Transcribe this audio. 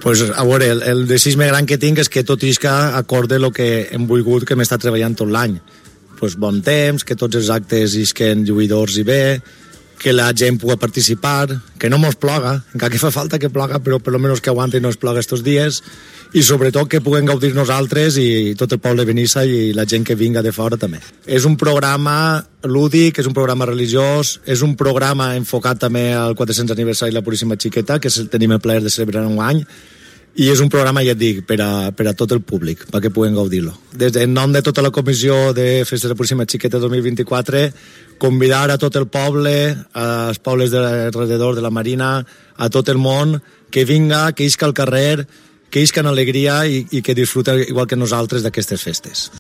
Pues, a veure, el desig més gran que tinc és que tot isca acorde el que hem volgut que hem estat treballant tot l'any. Pues bon temps, que tots els actes isquen lluïdors i bé, que la gent pugui participar, que no mos ploga, encara que fa falta que ploga, però per almenys que aguanti no es ploga estos dies, i sobretot que puguem gaudir nosaltres i tot el poble de Benissa i la gent que vinga de fora també. És un programa lúdic, és un programa religiós, és un programa enfocat també al 400 aniversari de la Puríssima Xiqueta, que tenim el plaer de celebrar un any, i és un programa, ja et dic, per a tot el públic, perquè puguem gaudir-lo. En nom de tota la Comissió de Festes de la Puríssima Xiqueta 2024, convidar a tot el poble, als pobles d'alrededor de la Marina, a tot el món, que vinga, que isca al carrer, que isca en alegria i que disfruta igual que nosaltres d'aquestes festes.